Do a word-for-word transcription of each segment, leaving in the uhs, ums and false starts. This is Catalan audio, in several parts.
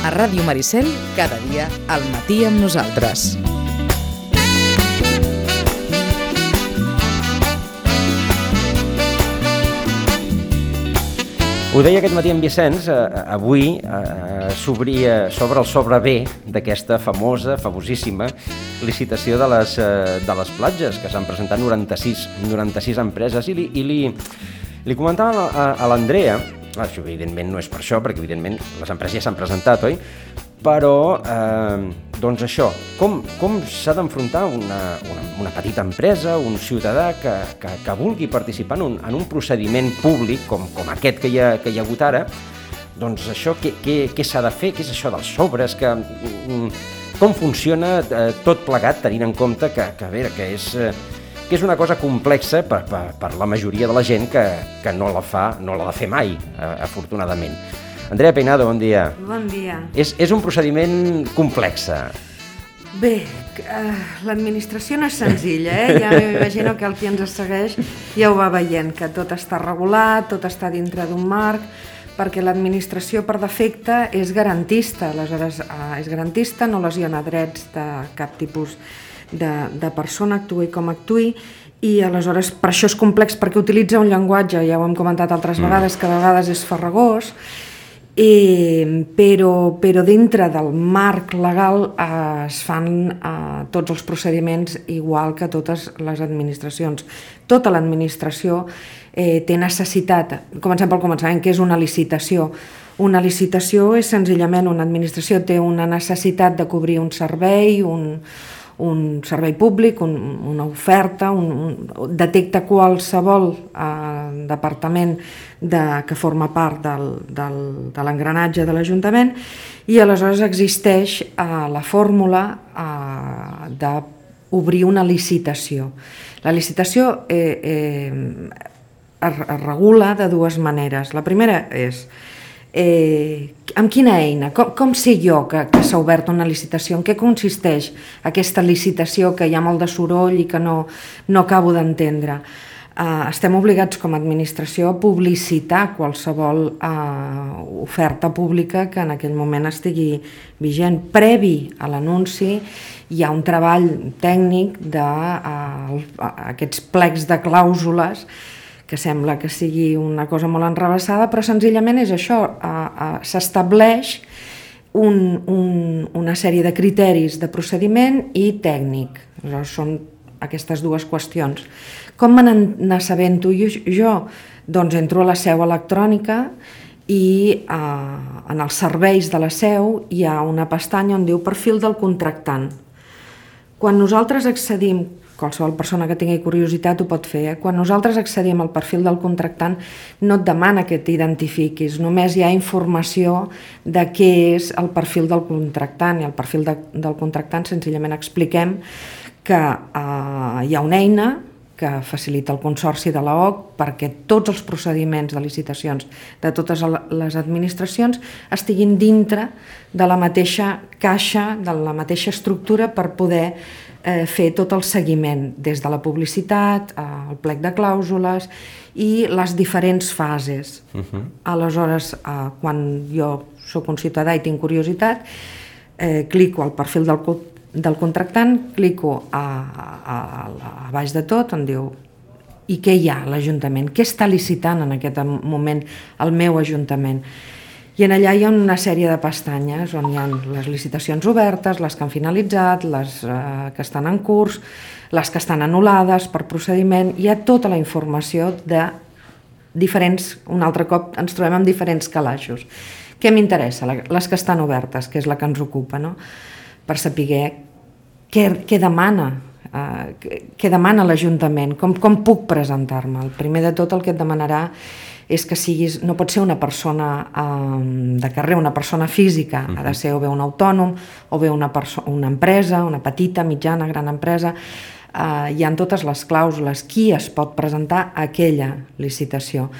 A Ràdio Maricel, cada dia al matí amb nosaltres. Ho deia aquest matí en Vicenç, eh, avui eh, s'obria sobre el sobre-B d'aquesta famosa, famosíssima licitació de les, eh, de les platges, que s'han presentat noranta-sis, noranta-sis empreses, i li, i li, li comentava a, a l'Andrea, això evidentment no és per això, perquè evidentment les empreses ja s'han presentat, oi? Però, eh, doncs això, com, com s'ha d'enfrontar una, una, una petita empresa, un ciutadà que, que, que vulgui participar en un, en un procediment públic com, com aquest que hi, ha, que hi ha hagut ara, doncs això, què, què, què s'ha de fer? Què és això dels sobres? Que, com funciona eh, tot plegat, tenint en compte que, que, a veure, que és... Eh, que és una cosa complexa per, per, per la majoria de la gent que, que no la fa, no l'ha de fer mai, eh, afortunadament. Andrea Peinado, bon dia. Bon dia. És, és un procediment complex. Bé, uh, l'administració no és senzilla, eh? Ja m'imagino que el qui ens segueix ja ho va veient, que tot està regulat, tot està dintre d'un marc, perquè l'administració per defecte és garantista, aleshores uh, és garantista, no lesiona drets de cap tipus de, de persona, actuï com actuï, i aleshores per això és complex, perquè utilitza un llenguatge, ja ho hem comentat altres mm. vegades, que a vegades és farragós, I, però, però dintre del marc legal eh, es fan eh, tots els procediments igual que totes les administracions. Tota l'administració eh, té necessitat, comencem pel començament, que és una licitació. Una licitació és senzillament una administració té una necessitat de cobrir un servei, un, un servei públic, un, una oferta, un, un, detecta qualsevol eh, departament de, que forma part del, del, de l'engranatge de l'Ajuntament, i aleshores existeix eh, la fórmula eh, d'obrir una licitació. La licitació eh, eh, es, es regula de dues maneres. La primera és Eh, amb quina eina, com, com sé jo que, que s'ha obert una licitació, en què consisteix aquesta licitació que hi ha molt de soroll i que no, no acabo d'entendre. Eh, estem obligats com a administració a publicitar qualsevol eh, oferta pública que en aquell moment estigui vigent. Previ a l'anunci hi ha un treball tècnic d'aquests eh, plecs de clàusules que sembla que sigui una cosa molt enrevessada, però senzillament és això, eh, eh, s'estableix un, un, una sèrie de criteris de procediment i tècnic. Aleshores, són aquestes dues qüestions. Com me n'assabento jo? Doncs entro a la seu electrònica i eh, en els serveis de la seu hi ha una pestanya on diu perfil del contractant. Quan nosaltres accedim, qualsevol persona que tingui curiositat ho pot fer, eh? Quan nosaltres accedim al perfil del contractant no et demana que t'identifiquis, només hi ha informació de què és el perfil del contractant, i el perfil de, del contractant senzillament expliquem que eh, hi ha una eina que facilita el Consorci de l'O C perquè tots els procediments de licitacions de totes les administracions estiguin dintre de la mateixa caixa, de la mateixa estructura per poder eh, fer tot el seguiment, des de la publicitat, eh, el plec de clàusules i les diferents fases. Uh-huh. Aleshores, eh, quan jo soc un ciutadà i tinc curiositat, eh, clico al perfil del del contractant, clico a, a, a, a baix de tot on diu i què hi ha a l'Ajuntament, què està licitant en aquest moment el meu Ajuntament, i en allà hi ha una sèrie de pestanyes on hi ha les licitacions obertes, les que han finalitzat, les eh, que estan en curs, les que estan anul·lades per procediment. Hi ha tota la informació de diferents, un altre cop ens trobem amb diferents calaixos. Què m'interessa? Les que estan obertes, que és la que ens ocupa, no? Per saber què, què demana, eh, què demana l'Ajuntament, com, com puc presentar-me. El primer de tot el que et demanarà és que siguis, no pot ser una persona eh, de carrer, una persona física, uh-huh. ha de ser o bé un autònom, o bé una, perso- una empresa, una petita, mitjana, gran empresa. Eh, hi ha totes les clàusules, qui es pot presentar a aquella licitació.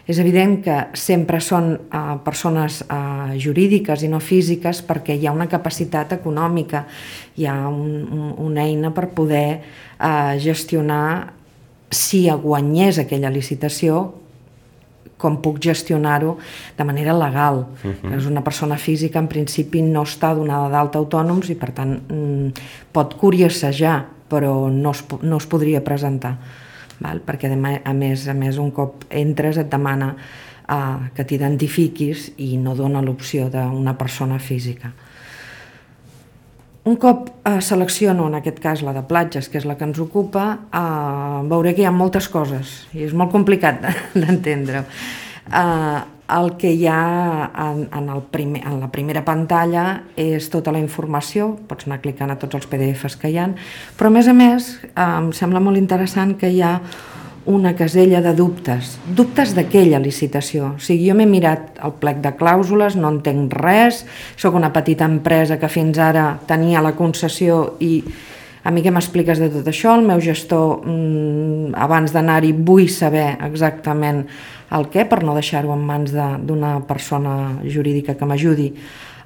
És evident que sempre són eh, persones eh, jurídiques i no físiques perquè hi ha una capacitat econòmica, hi ha un, un, una eina per poder eh, gestionar, si guanyés aquella licitació, com puc gestionar-ho de manera legal. Uh-huh. És una persona física, en principi no està donada d'alta autònoms i per tant pot curiosejar, però no es, no es podria presentar. Val? Perquè a més, a més un cop entres et demana uh, que t'identifiquis i no dona l'opció d'una persona física. Un cop eh, selecciono, en aquest cas la de platges, que és la que ens ocupa, eh, veuré que hi ha moltes coses i és molt complicat d'entendre. Eh, el que hi ha en, en, el primer, en la primera pantalla és tota la informació, pots anar clicant a tots els P D Fs que hi ha, però a més a més eh, em sembla molt interessant que hi ha una casella de dubtes, dubtes d'aquella licitació. O sigui, jo m'he mirat el plec de clàusules, no entenc res, sóc una petita empresa que fins ara tenia la concessió i a mi què m'expliques de tot això? El meu gestor, mmm, abans d'anar-hi, vull saber exactament el què, per no deixar-ho en mans d'una persona jurídica que m'ajudi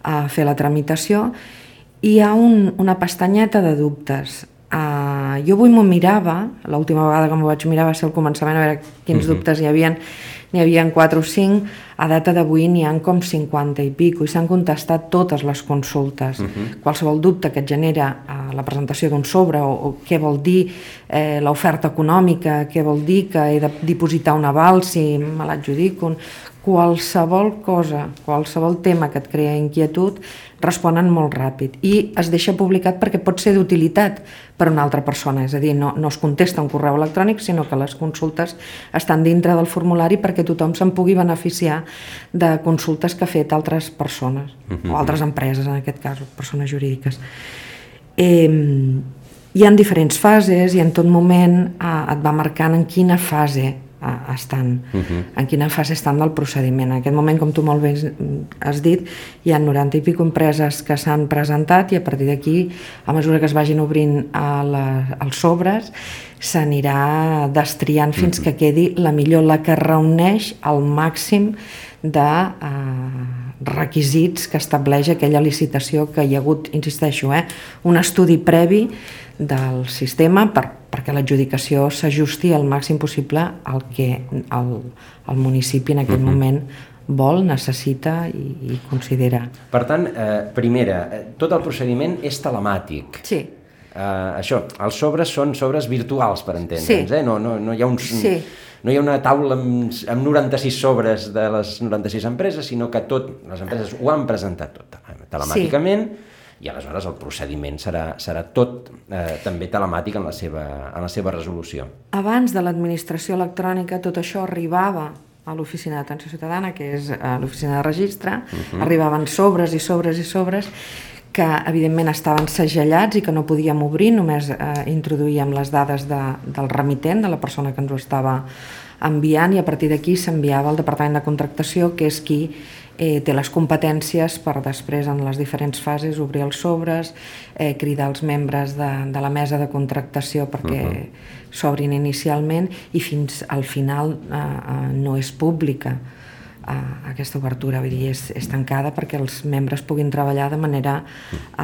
a fer la tramitació. I hi ha un, una pestanyeta de dubtes. Uh, jo avui m'ho mirava, l'última vegada que m'ho vaig mirar va ser al començament, a veure quins uh-huh. dubtes hi havia, n'hi havia quatre o cinc, a data d'avui n'hi ha com cinquanta i pico i s'han contestat totes les consultes. Uh-huh. Qualsevol dubte que et genera uh, la presentació d'un sobre o, o què vol dir eh, l'oferta econòmica, què vol dir que he de dipositar un aval si me l'adjudico, qualsevol cosa, qualsevol tema que et crea inquietud, responen molt ràpid i es deixa publicat perquè pot ser d'utilitat per a una altra persona, és a dir, no, no es contesta un correu electrònic, sinó que les consultes estan dintre del formulari perquè tothom se'n pugui beneficiar de consultes que ha fet altres persones, uh-huh. o altres empreses, en aquest cas, persones jurídiques. Eh, hi ha diferents fases i en tot moment eh, et va marcant en quina fase estan, uh-huh. en quina fase estan del procediment. En aquest moment, com tu molt bé has dit, hi ha noranta i pico empreses que s'han presentat i a partir d'aquí, a mesura que es vagin obrint a la, els sobres, s'anirà destriant fins uh-huh. que quedi la millor, la que reuneix el màxim de eh, requisits que estableix aquella licitació que hi ha hagut, insisteixo, eh, un estudi previ del sistema per, perquè l'adjudicació s'ajusti al màxim possible al que el, el municipi en aquell uh-huh. moment vol, necessita i, i considera. Per tant, eh, primera, tot el procediment és telemàtic. Sí. Eh, això, els sobres són sobres virtuals, per entendre'ns, sí. eh? No, no, no hi ha uns... Sí. No hi ha una taula amb, amb noranta-sis sobres de les noranta-sis empreses, sinó que tot, les empreses ho han presentat tot telemàticament, sí. i aleshores el procediment serà, serà tot eh, també telemàtic en la, seva, en la seva resolució. Abans de l'administració electrònica tot això arribava a l'Oficina d'Atenció Ciutadana, que és l'Oficina de Registre, uh-huh. arribaven sobres i sobres i sobres que evidentment estaven segellats i que no podíem obrir, només eh, introduïem les dades de, del remitent, de la persona que ens ho estava enviant, i a partir d'aquí s'enviava al Departament de Contractació, que és qui eh, té les competències per després en les diferents fases obrir els sobres, eh, cridar els membres de, de la mesa de contractació perquè uh-huh. s'obrin inicialment i fins al final eh, eh, no és pública. Uh, aquesta obertura, vull dir, és, és tancada perquè els membres puguin treballar de manera uh,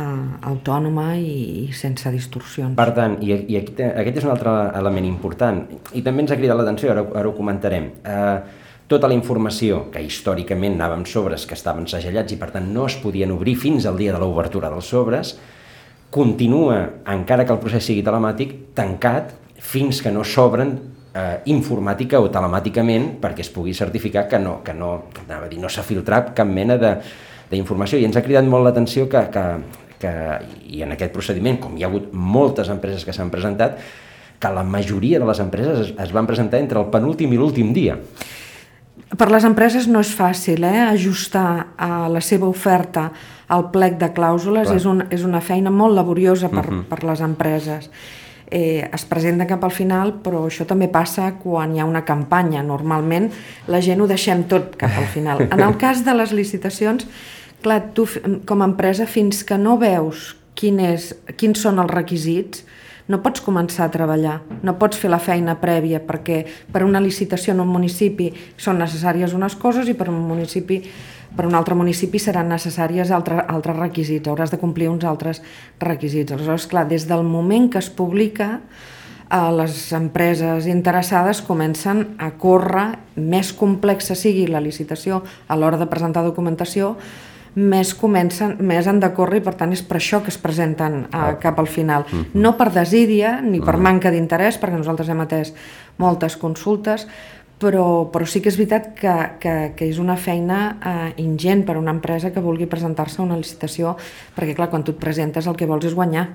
autònoma i, i sense distorsions. Per tant, i, i aquí, aquest és un altre element important, i també ens ha cridat l'atenció, ara, ara ho comentarem, uh, tota la informació que històricament anàvem sobres que estaven segellats i per tant no es podien obrir fins al dia de l'obertura dels sobres, continua, encara que el procés sigui telemàtic, tancat fins que no s'obren Eh, informàtica o telemàticament perquè es pugui certificar que no, que no, anava a dir, no s'ha filtrat cap mena d'informació. I ens ha cridat molt l'atenció que, que, que, i en aquest procediment, com hi ha hagut moltes empreses que s'han presentat, que la majoria de les empreses es, es van presentar entre el penúltim i l'últim dia. Per les empreses no és fàcil eh, ajustar a la seva oferta al plec de clàusules, és, un, és una feina molt laboriosa per, uh-huh. per les empreses. Eh, es presenta cap al final, però això també passa quan hi ha una campanya. Normalment la gent ho deixem tot cap al final. En el cas de les licitacions, clar, tu com a empresa fins que no veus quin és, quins són els requisits, no pots començar a treballar, no pots fer la feina prèvia perquè per una licitació en un municipi són necessàries unes coses i per un municipi per un altre municipi seran necessàries altres, altres requisits, hauràs de complir uns altres requisits. Aleshores, clar, des del moment que es publica, les empreses interessades comencen a córrer, més complexa sigui la licitació a l'hora de presentar documentació, més comencen, més han de córrer i per tant és per això que es presenten uh, cap al final. Uh-huh. No per desídia ni per uh-huh. manca d'interès, perquè nosaltres hem atès moltes consultes, però, però sí que és veritat que, que, que és una feina uh, ingent per a una empresa que vulgui presentar-se a una licitació, perquè clar, quan tu et presentes el que vols és guanyar.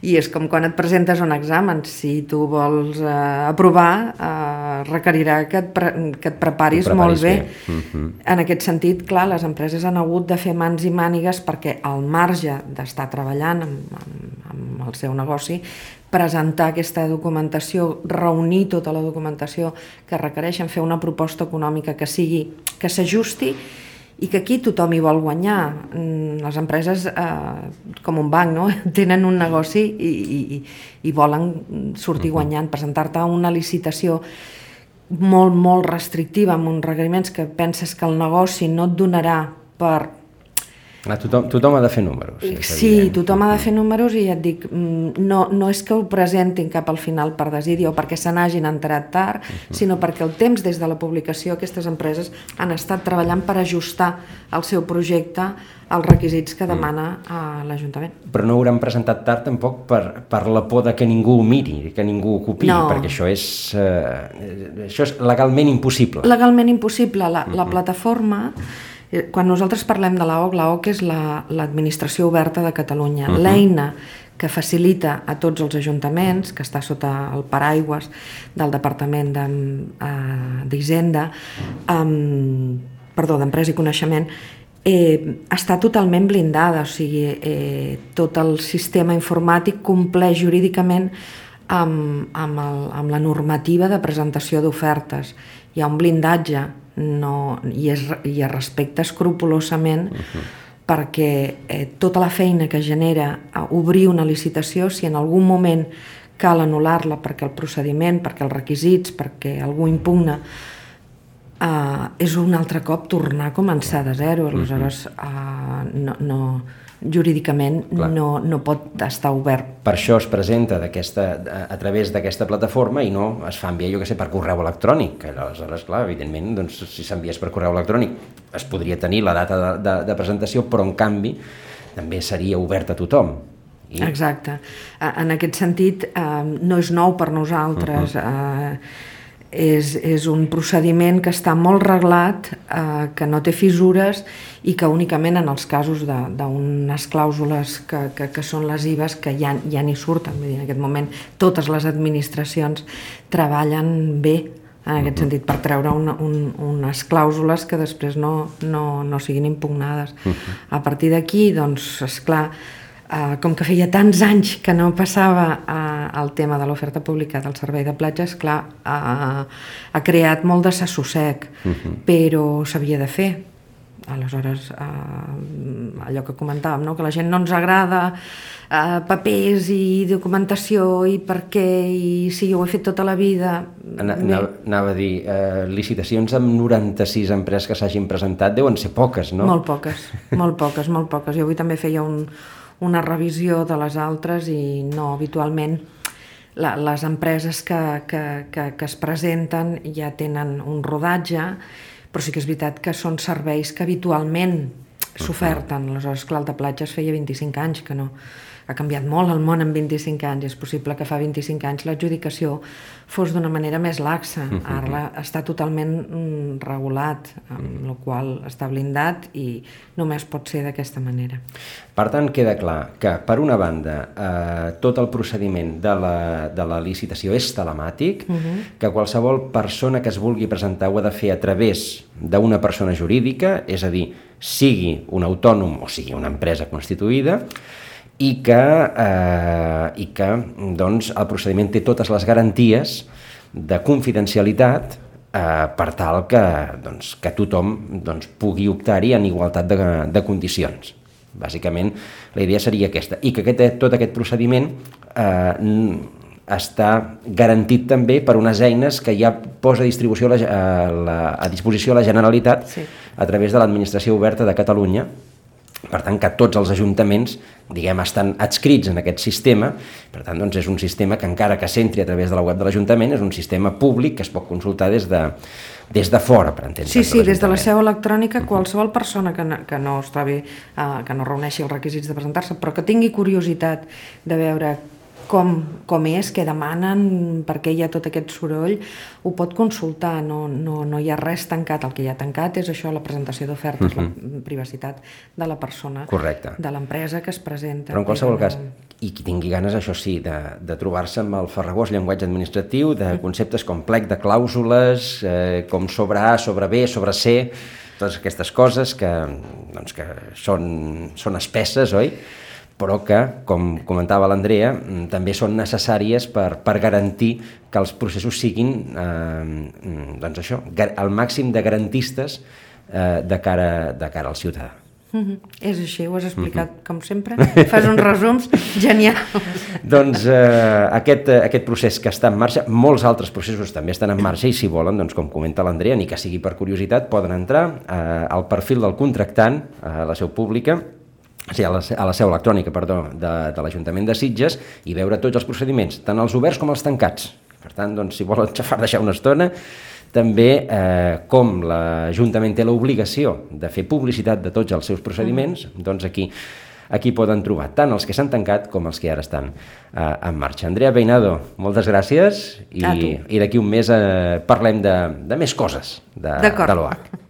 I és com quan et presentes a un examen, si tu vols eh, aprovar eh, requerirà que et, pre que et preparis, preparis molt bé, bé. Uh-huh. En aquest sentit, clar, les empreses han hagut de fer mans i mànigues perquè al marge d'estar treballant amb, amb, amb el seu negoci, presentar aquesta documentació, reunir tota la documentació que requereixen, fer una proposta econòmica que sigui, que s'ajusti i que aquí tothom hi vol guanyar. Les empreses, eh, com un banc, no? Tenen un negoci i, i, i volen sortir guanyant. Presentar-te a una licitació molt, molt restrictiva, amb uns requeriments que penses que el negoci no et donarà per... Ah, tothom, tothom ha de fer números. Sí, tothom ha de fer números i ja et dic, no, no és que ho presentin cap al final per desídia o perquè se n'hagin enterat tard, uh-huh. sinó perquè el temps des de la publicació aquestes empreses han estat treballant per ajustar el seu projecte als requisits que demana uh, l'Ajuntament. Però no hauran presentat tard tampoc per, per la por de que ningú ho miri, que ningú ho copiï, no. perquè això és, eh, això és legalment impossible. Legalment impossible. La, uh-huh. la plataforma... Quan nosaltres parlem de l'A O C, l'A O C és l'Administració la, Oberta de Catalunya, uh-huh. l'eina que facilita a tots els ajuntaments, que està sota el paraigües del Departament d'Hisenda, um, perdó, d'Empresa i Coneixement, eh, està totalment blindada, o sigui, eh, tot el sistema informàtic compleix jurídicament amb, amb, el, amb la normativa de presentació d'ofertes. Hi ha un blindatge, no, i, es, i es respecta escrupolosament uh-huh. perquè eh, tota la feina que genera a obrir una licitació, si en algun moment cal anul·lar-la perquè el procediment, perquè els requisits, perquè algú impugna, eh, és un altre cop tornar a començar de zero. Aleshores, eh, no, no, jurídicament no, no pot estar obert. Per això es presenta a, a través d'aquesta plataforma i no es fa enviar, jo què sé, per correu electrònic, que aleshores, clar, evidentment, doncs, si s'enviés per correu electrònic es podria tenir la data de, de, de presentació, però en canvi també seria obert a tothom. I... Exacte. En aquest sentit, eh, no és nou per nosaltres, uh-huh. eh, És, és un procediment que està molt reglat, eh, que no té fissures i que únicament en els casos d'unes clàusules que, que, que són lesives que ja, ja n'hi surten. Vull dir, en aquest moment totes les administracions treballen bé en aquest sentit per treure una, un, unes clàusules que després no, no, no siguin impugnades. A partir d'aquí, doncs, esclar, Uh, com que feia tants anys que no passava uh, el tema de l'oferta pública del servei de platges, clar, uh, ha creat molt de sassossec, uh-huh. però s'havia de fer. Aleshores, uh, allò que comentàvem, no? Que la gent no ens agrada uh, papers i documentació i per què, i si jo ho he fet tota la vida... Anava, anava a dir, uh, licitacions amb noranta-sis empreses que s'hagin presentat deuen ser poques, no? Molt poques, molt poques, molt poques. Jo avui també feia un... una revisió de les altres i no, habitualment la, les empreses que, que, que, que es presenten ja tenen un rodatge, però sí que és veritat que són serveis que habitualment s'oferten. Aleshores, clar, el de platges feia vint-i-cinc anys que no... Ha canviat molt el món en vint-i-cinc anys. És possible que fa vint-i-cinc anys l'adjudicació fos d'una manera més laxa. Ara està totalment regulat, amb la qual està blindat i només pot ser d'aquesta manera. Per tant, queda clar que, per una banda, eh, tot el procediment de la, de la licitació és telemàtic, uh-huh. que qualsevol persona que es vulgui presentar ho ha de fer a través d'una persona jurídica, és a dir, sigui un autònom o sigui una empresa constituïda, i que, eh, i que doncs, el procediment té totes les garanties de confidencialitat eh, per tal que, doncs, que tothom doncs, pugui optar-hi en igualtat de, de condicions. Bàsicament, la idea seria aquesta. I que aquest, tot aquest procediment eh, està garantit també per unes eines que ja posa a, distribució la, a, la, a disposició la Generalitat sí. a través de l'Administració Oberta de Catalunya, Per tant, que tots els ajuntaments, diguem, estan adscrits en aquest sistema. Per tant, doncs, és un sistema que, encara que s'entri a través de la web de l'Ajuntament, és un sistema públic que es pot consultar des de, des de fora, per entendre. Sí, sí, des de la seu electrònica, qualsevol persona que no, que no, està bé, uh, que no reuneixi els requisits de presentar-se, però que tingui curiositat de veure com, com és, què demanen, per què hi ha tot aquest soroll, ho pot consultar, no, no, no hi ha res tancat. El que hi ha tancat és això, la presentació d'ofertes, uh-huh. la privacitat de la persona, correcte, de l'empresa que es presenta. Però en qualsevol cas, i qui tingui ganes, això sí, de, de trobar-se amb el farragós llenguatge administratiu, de conceptes com plec de clàusules, eh, com sobre A, sobre B, sobre C, totes aquestes coses que, doncs, que són, són espesses, oi? Però que, com comentava l'Andrea, també són necessàries per, per garantir que els processos siguin eh, doncs això, el màxim de garantistes eh, de, cara, de cara al ciutadà. Mm-hmm. És així, ho has explicat, mm-hmm. com sempre. Fas uns resums genials. Doncs eh, aquest, aquest procés que està en marxa, molts altres processos també estan en marxa i, si volen, doncs, com comenta l'Andrea, ni que sigui per curiositat, poden entrar eh, al perfil del contractant, a la seu pública, o sigui, a la, a la seu electrònica, perdó, de, de l'Ajuntament de Sitges, i veure tots els procediments, tant els oberts com els tancats. Per tant, doncs, si volen xafar deixar una estona, també, eh, com l'Ajuntament té l'obligació de fer publicitat de tots els seus procediments, doncs aquí, aquí poden trobar tant els que s'han tancat com els que ara estan eh, en marxa. Andrea Peinado, moltes gràcies, i, i d'aquí un mes eh, parlem de, de més coses de, de l'O H.